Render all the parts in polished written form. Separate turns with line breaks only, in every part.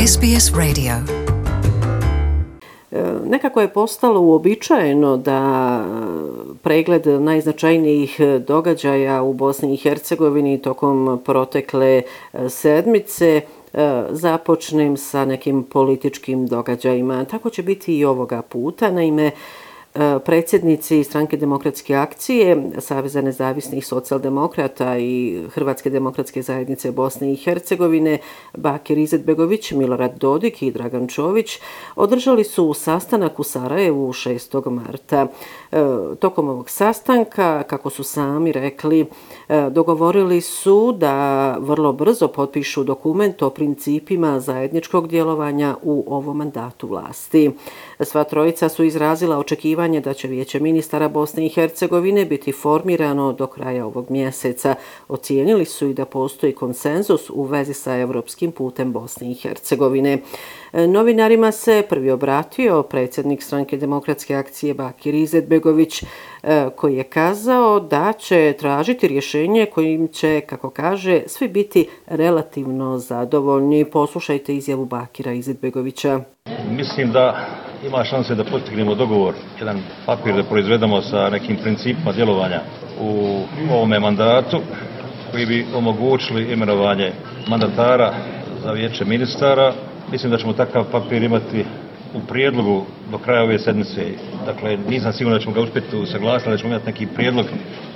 SBS Radio.
Nekako je postalo uobičajeno da pregled najznačajnijih događaja u Bosni i Hercegovini tokom protekle sedmice započnem sa nekim političkim događajima. Tako će biti i ovoga puta. Naime, predsjednici Stranke demokratske akcije, Saveza nezavisnih socijaldemokrata i Hrvatske demokratske zajednice Bosne i Hercegovine, Bakir Izetbegović, Milorad Dodik i Dragan Čović održali su sastanak u Sarajevu 6. marta. Tokom ovog sastanka, kako su sami rekli, dogovorili su da vrlo brzo potpišu dokument o principima zajedničkog djelovanja u ovom mandatu vlasti. Sva trojica su izrazila očekivanje da će Vijeće ministara Bosne i Hercegovine biti formirano do kraja ovog mjeseca. Ocijenili su i da postoji konsenzus u vezi sa europskim putem Bosne i Hercegovine. Novinarima se prvi obratio predsjednik Stranke demokratske akcije Bakir Izetbegović, koji je kazao da će tražiti rješenje kojim će, kako kaže, svi biti relativno zadovoljni. Poslušajte izjavu Bakira Izetbegovića.
Mislim da ima šanse da postignemo dogovor, jedan papir da proizvedemo sa nekim principima djelovanja u ovome mandatu koji bi omogućili imenovanje mandatara za Vijeće ministara. Mislim da ćemo takav papir imati u prijedlogu do kraja ove sedmice. Dakle, nisam siguran da ćemo ga uspjeti usaglasiti, da ćemo imati neki prijedlog.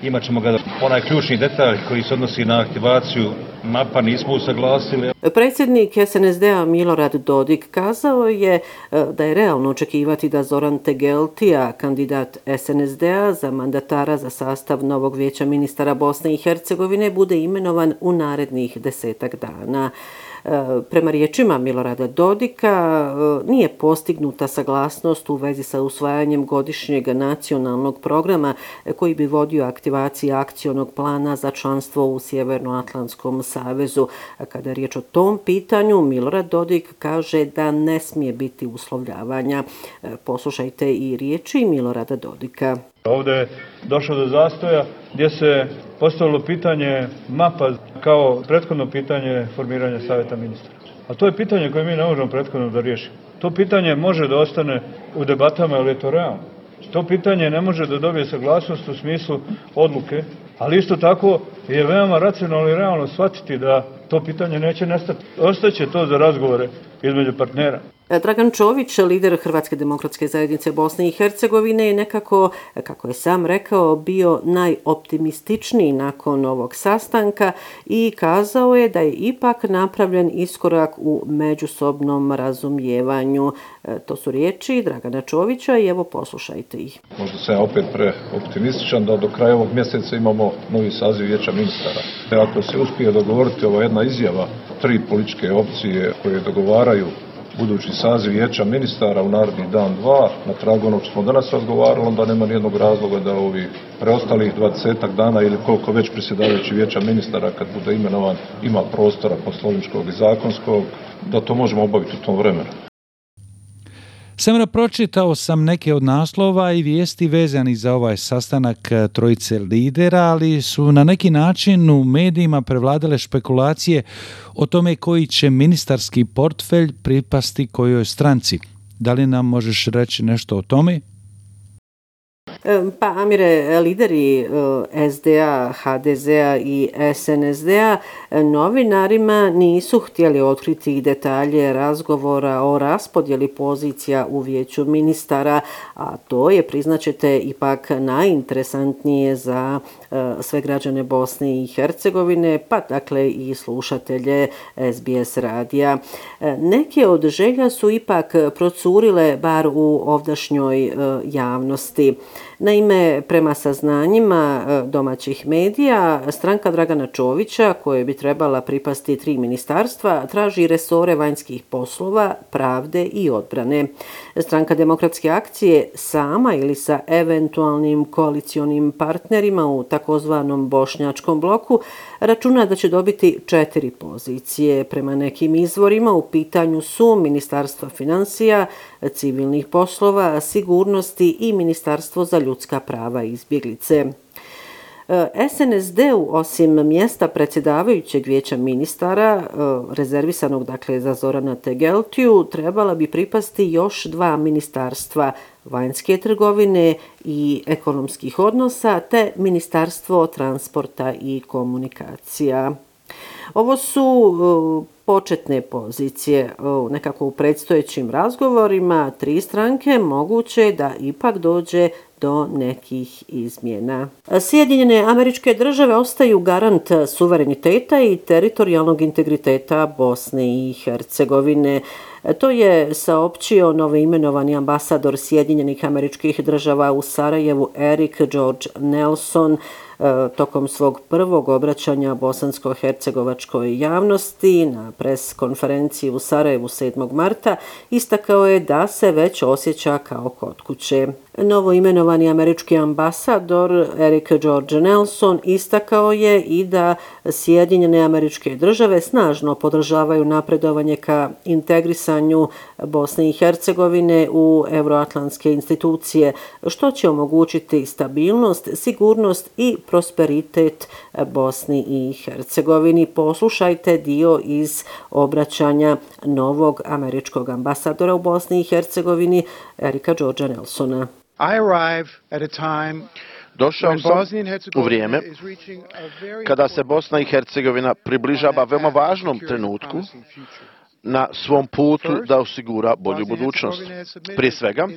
Imat ćemo ga onaj ključni detalj koji se odnosi na aktivaciju mapa, nismo usaglasili.
Predsjednik SNSD-a Milorad Dodik kazao je da je realno očekivati da Zoran Tegeltija, kandidat SNSD-a za mandatara za sastav novog Vijeća ministara Bosne i Hercegovine, bude imenovan u narednih 10 dana. Prema riječima Milorada Dodika nije postignuta saglasnost u vezi sa usvajanjem godišnjeg nacionalnog programa koji bi vodio aktivaciji akcionog plana za članstvo u Sjevernoatlantskom savezu. Kada je riječ o tom pitanju, Milorad Dodik kaže da ne smije biti uslovljavanja. Poslušajte i riječi Milorada Dodika.
Ovdje je došlo do zastoja gdje se postavilo pitanje mapa kao prethodno pitanje formiranja savjeta ministara. A to je pitanje koje mi ne možemo prethodno da riješimo. To pitanje može da ostane u debatama, ali je to realno. To pitanje ne može da dobije saglasnost u smislu odluke, ali isto tako je veoma racionalno i realno shvatiti da to pitanje neće nestati. Ostaće to za razgovore između partnera.
Dragan Čović, lider Hrvatske demokratske zajednice Bosne i Hercegovine, je nekako, kako je sam rekao, bio najoptimističniji nakon ovog sastanka i kazao je da je ipak napravljen iskorak u međusobnom razumijevanju. To su riječi Dragana Čovića i evo poslušajte ih.
Možda sam ja opet preoptimističan da do kraja ovog mjeseca imamo novi saziv Vijeća ministara. Ako se uspije dogovoriti ova jedna izjava, 3 političke opcije koje dogovaraju budući saziv Vijeća ministara u naredni dan 2, na tragu onog što smo danas razgovarali, onda nema nijednog razloga da ovih preostalih 20 dana ili koliko već predsjedavajući Vijeća ministara kad bude imenovan ima prostora poslovničkog i zakonskog, da to možemo obaviti u tom vremenu.
Samo pročitao sam neke od naslova i vijesti vezani za ovaj sastanak trojice lidera, ali su na neki način u medijima prevladale špekulacije o tome koji će ministarski portfelj pripasti kojoj stranci. Da li nam možeš reći nešto o tome?
Pa, Amire, lideri SDA, HDZ-a i SNSD-a novinarima nisu htjeli otkriti detalje razgovora o raspodjeli pozicija u Vijeću ministara, a to je, priznaćete, ipak najinteresantnije za sve građane Bosne i Hercegovine, pa dakle i slušatelje SBS radija. Neke od želja su ipak procurile bar u ovdašnjoj javnosti. Naime, prema saznanjima domaćih medija, stranka Dragana Čovića, koje bi trebala pripasti 3 ministarstva, traži resore vanjskih poslova, pravde i odbrane. Stranka demokratske akcije sama ili sa eventualnim koalicionim partnerima u takozvanom bošnjačkom bloku računa da će dobiti 4 pozicije. Prema nekim izvorima u pitanju su Ministarstva financija, civilnih poslova, sigurnosti i Ministarstvo za ljudska prava i izbjeglice. SNSD-u osim mjesta predsjedavajućeg vijeća ministara, rezervisanog dakle za Zorana Tegeltiju, trebala bi pripasti još 2 ministarstva vanjske trgovine i ekonomskih odnosa te Ministarstvo transporta i komunikacija. Ovo su početne pozicije. Nekako u predstojećim razgovorima 3 stranke moguće da ipak dođe do nekih izmjena. Sjedinjene Američke Države ostaju garant suvereniteta i teritorijalnog integriteta Bosne i Hercegovine. To je saopćio novoimenovani ambasador Sjedinjenih Američkih Država u Sarajevu Eric George Nelson tokom svog prvog obraćanja bosansko-hercegovačkoj javnosti na pres konferenciji u Sarajevu 7. marta. Istakao je da se već osjeća kao kod kuće. Novoimenovani američki ambasador Eric George Nelson istakao je i da Sjedinjene Američke Države snažno podržavaju napredovanje ka integrisanju Bosne i Hercegovine u euroatlantske institucije, što će omogućiti stabilnost, sigurnost i prosperitet Bosni i Hercegovini. Poslušajte dio iz obraćanja novog američkog ambasadora u Bosni i Hercegovini Erika Georgea Nelsona.
Došao sam u vrijeme kada se Bosna i Hercegovina približava veoma važnom trenutku na svom putu da osigura bolju budućnost. Prije svega,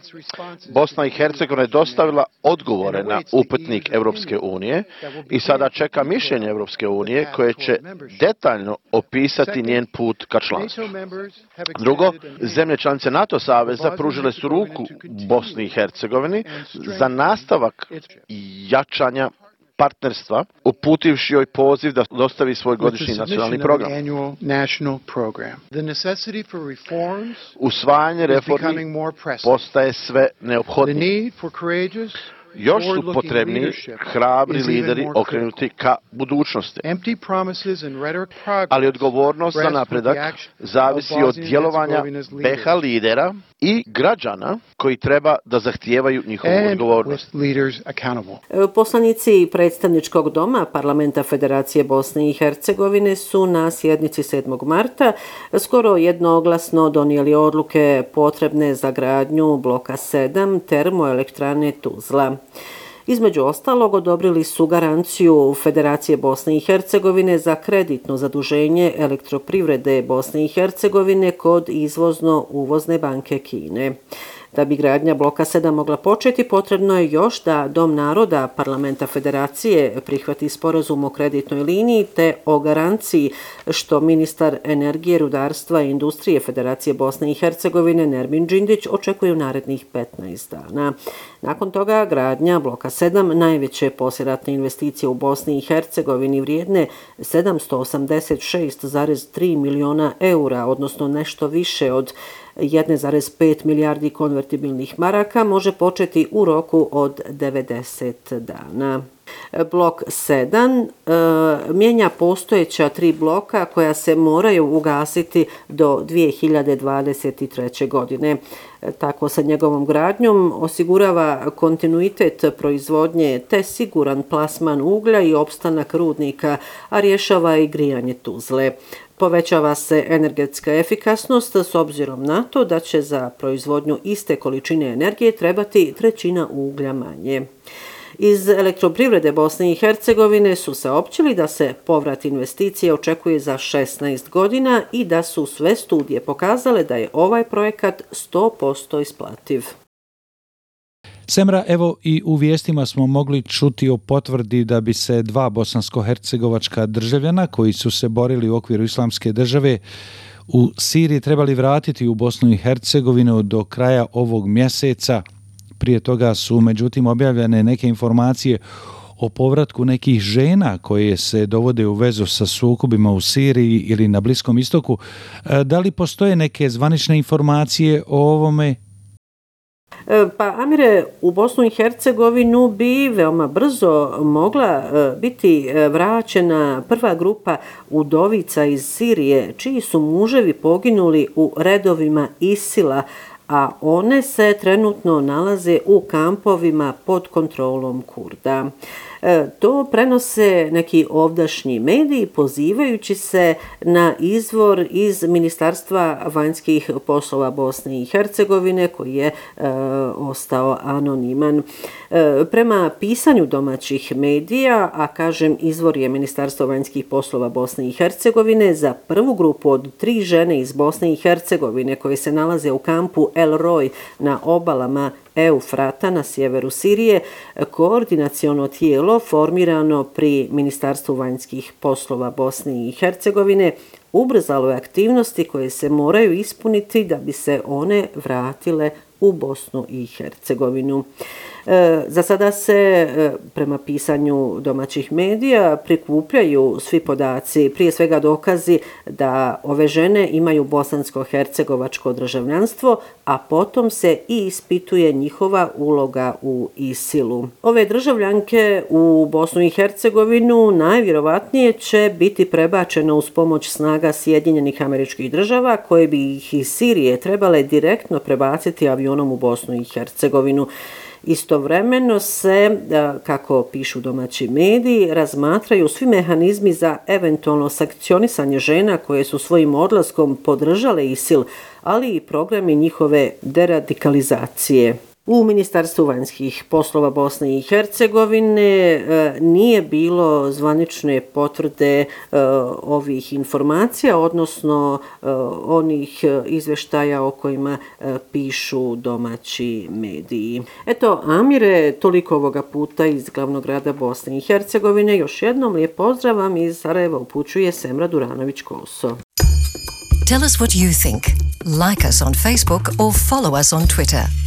Bosna i Hercegovina je dostavila odgovore na upitnik Europske unije i sada čeka mišljenje Europske unije koje će detaljno opisati njen put ka članstvu. Drugo, zemlje članice NATO saveza pružile su ruku Bosni i Hercegovini za nastavak jačanja partnerstva, uputivši joj poziv da dostavi svoj godišnji nacionalni program. Usvajanje reformi postaje sve neophodnije. Još su potrebni hrabri lideri okrenuti ka budućnosti. Ali odgovornost za napredak zavisi od djelovanja BiH lidera i građana koji treba da zahtijevaju njihovu odgovornost.
Poslanici predstavničkog doma Parlamenta Federacije Bosne i Hercegovine su na sjednici 7. marta skoro jednoglasno donijeli odluke potrebne za gradnju bloka 7 termoelektrane Tuzla. Između ostalog, odobrili su garanciju Federacije Bosne i Hercegovine za kreditno zaduženje elektroprivrede Bosne i Hercegovine kod izvozno-uvozne banke Kine. Da bi gradnja bloka 7 mogla početi, potrebno je još da Dom naroda Parlamenta Federacije prihvati sporazum o kreditnoj liniji te o garanciji, što ministar energije, rudarstva i industrije Federacije Bosne i Hercegovine Nermin Džindić očekuje u narednih 15 dana. Nakon toga gradnja bloka 7, najveće poslijeratne investicije u Bosni i Hercegovini vrijedne 786,3 miliona eura, odnosno nešto više od 1,5 milijardi konvertibilnih maraka, može početi u roku od 90 dana. Blok 7 mijenja postojeća 3 bloka koja se moraju ugasiti do 2023. godine. Tako sa njegovom gradnjom osigurava kontinuitet proizvodnje te siguran plasman uglja i opstanak rudnika, a rješava i grijanje Tuzle. Povećava se energetska efikasnost s obzirom na to da će za proizvodnju iste količine energije trebati 1/3 uglja manje. Iz elektroprivrede Bosne i Hercegovine su saopćili da se povrat investicije očekuje za 16 godina i da su sve studije pokazale da je ovaj projekat 100% isplativ.
Semra, evo i u vijestima smo mogli čuti o potvrdi da bi se 2 bosansko-hercegovačka državljana koji su se borili u okviru Islamske države u Siriji trebali vratiti u Bosnu i Hercegovinu do kraja ovog mjeseca. Prije toga su međutim objavljene neke informacije o povratku nekih žena koje se dovode u vezu sa sukobima u Siriji ili na Bliskom istoku. Da li postoje neke zvanične informacije o ovome?
Pa, Amire, u Bosnu i Hercegovinu bi veoma brzo mogla biti vraćena prva grupa udovica iz Sirije, čiji su muževi poginuli u redovima ISIL-a, a one se trenutno nalaze u kampovima pod kontrolom Kurda. To prenose neki ovdašnji mediji pozivajući se na izvor iz Ministarstva vanjskih poslova Bosne i Hercegovine koji je ostao anoniman. Prema pisanju domaćih medija, a kažem izvor je Ministarstvo vanjskih poslova Bosne i Hercegovine, za prvu grupu od 3 žene iz Bosne i Hercegovine koje se nalaze u kampu El Roj na obalama Eufrata na sjeveru Sirije, koordinaciono tijelo formirano pri Ministarstvu vanjskih poslova Bosne i Hercegovine ubrzalo je aktivnosti koje se moraju ispuniti da bi se one vratile u Bosnu i Hercegovinu. Za sada se, prema pisanju domaćih medija, prikupljaju svi podaci, prije svega dokazi da ove žene imaju bosansko-hercegovačko državljanstvo, a potom se i ispituje njihova uloga u ISIL-u. Ove državljanke u Bosnu i Hercegovinu najvjerovatnije će biti prebačene uz pomoć snaga Sjedinjenih Američkih Država koje bi ih iz Sirije trebale direktno prebaciti avionom u Bosnu i Hercegovinu. Istovremeno se, kako pišu domaći mediji, razmatraju svi mehanizmi za eventualno sankcionisanje žena koje su svojim odlaskom podržale ISIL, ali i programi njihove deradikalizacije. U Ministarstvu vanjskih poslova Bosne i Hercegovine nije bilo zvanične potvrde ovih informacija, odnosno onih izvještaja o kojima pišu domaći mediji. Eto, Amire, toliko ovoga puta iz glavnog grada Bosne i Hercegovine. Još jednom lijep pozdrav vam iz Sarajeva upućuje Semra Duranović-Koso.
Tell us what you think. Like us on Facebook or follow us on Twitter.